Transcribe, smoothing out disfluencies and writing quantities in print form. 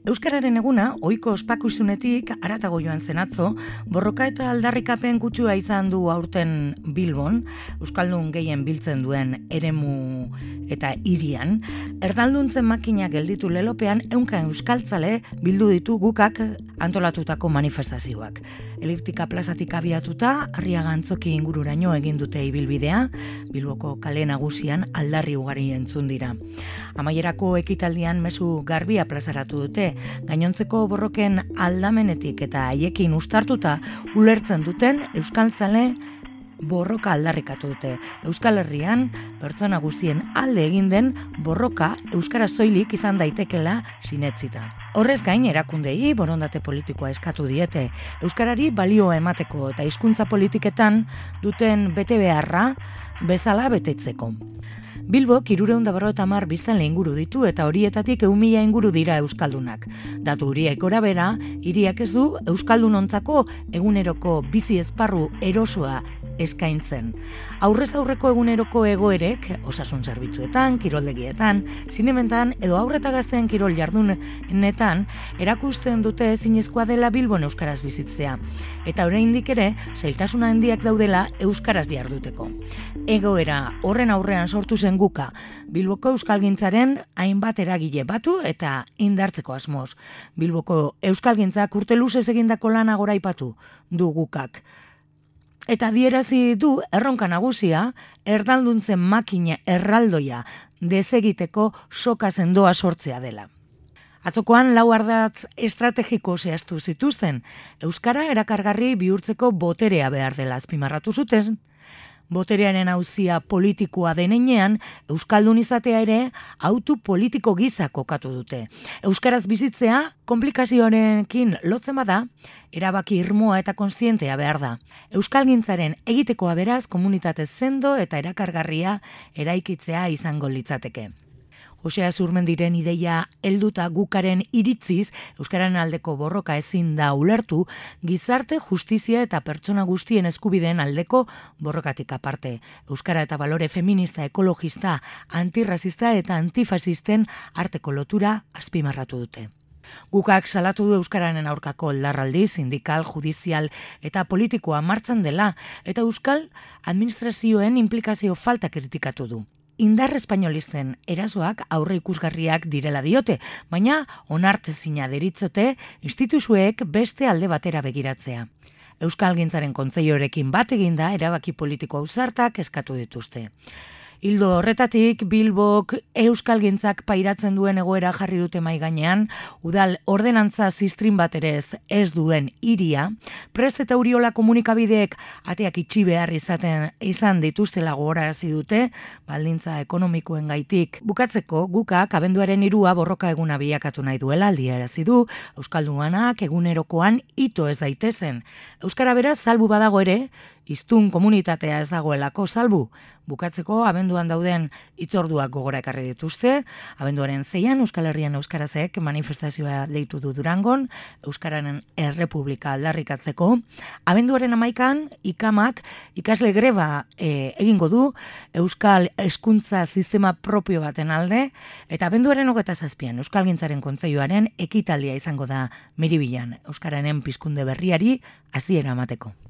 Euskararen eguna, ohiko ospakizunetik haratago joan zen atzo, borroka eta aldarrikapen kutsua izan du aurten Bilbon, euskaldun gehien biltzen duen eremu eta hirian. Erdalduntzen makina gelditu lelopean, ehunka euskaltzale bildu ditu gukak antolatutako manifestazioak. Eliptika plazatik abiatuta, Arriaga Antzoki ingururaino egin dute ibilbidea, Bilboko kale nagusian aldarri ugari entzun dira. Amaierako ekitaldian mezu garbia plazaratu dute, gainontzeko borroken aldamenetik eta haiekin ustartuta ulertzen duten euskaltzale borroka aldarrikatu dute. Euskal Herrian, pertsona guztien alde egin den borroka euskara soilik izan daitekela sinetzita. Horrez gain, erakundei borondate politikoa eskatu diete, euskarari balioa emateko eta hizkuntza politiketan duten betebeharra bezala betetzeko. Bilbok 350 biztanle inguru ditu eta horietatik 1.000 inguru dira euskaldunak. Datu horiek gorabehera, hiriak ez du euskaldunontzako eguneroko bizi esparru erosoa eskaintzen. Aurrez aurreko eguneroko egoerek, osasun zerbitzuetan, kiroldegietan, zinementan edo aurreta gazteen kirol jardunetan, erakusten dute ezinezkoa dela Bilbon euskaraz bizitzea. Eta oraindik ere, zailtasun handiak daudela euskaraz jarduteko. Egoera horren aurrean sortu zen guka, Bilboko euskalgintzaren hainbat eragile batu eta indartzeko asmoz. Bilboko euskalgintzak urte luzez egindako lana goraipatu du gukak. Eta adierazi du erronka nagusia, erdalduntzen makina erraldoia desegiteko soka sendoa sortzea dela. Atzokoan 4 ardatz estrategiko zehaztu zituzten, euskara erakargarri bihurtzeko boterea behar dela azpimarratu zuten. Boterearen auzia politikoa denean, euskaldun izatea ere autu politiko gisa kokatu dute. Euskaraz bizitzea konplikazioarekin lotzen bada, erabaki irmoa eta kontzientea behar da. Euskalgintzaren egitekoa beraz komunitate sendo eta erakargarria eraikitzea izango litzateke. Josea Zurmendiren ideia helduta gukaren iritziz, euskararen aldeko borroka ezin da ulertu, gizarte, justizia eta pertsona guztien eskubideen aldeko borrokatik aparte. Euskara eta balore feminista, ekologista, antirrazista eta antifasisten arteko lotura azpimarratu dute. Gukak salatu du euskararen aurkako oldarraldi, sindikal, judizial eta politikoa martxan dela, eta euskal administrazioen implikazio falta kritikatu du. Indar espainolisten erasoak aurre ikusgarriak direla diote, baina onartezina deritzote instituzioek beste alde batera begiratzea. Euskalgintzaren kontseilioarekin bat eginda erabaki politiko ausartak eskatu dituzte. Hildo horretatik, Bilbok euskalgintzak pairatzen duen egoera jarri dute mahai gainean, udal ordenantza ziztrin bat ere ez duen hiria, Prest eta Uriola komunikabideek ateak itxi behar izan dituztela gogorarazi dute, baldintza ekonomikoen gaitik. Bukatzeko, gukak abenduaren 3 borroka eguna bilakatu nahi duela aldiarazi du, euskaldunanak egunerokoan ito ez daitezen. Euskara beraz salbu badago ere, hiztun komunitatea ez dagoelako salbu. Bukatzeko, abenduan dauden hitzorduak gogora ekarri dituzte. Abenduaren 6an Euskal Herrian euskarazek manifestazioa deitu du Durangon, Euskararen Errepublika aldarrikatzeko. Abenduaren 11an ikamak ikasle greba egingo du Euskal hezkuntza sistema propio baten alde, eta abenduaren 27an Euskalgintzaren Kontseiluaren ekitaldia izango da Miribilan, Euskararen pizkunde berriari hasiera emateko.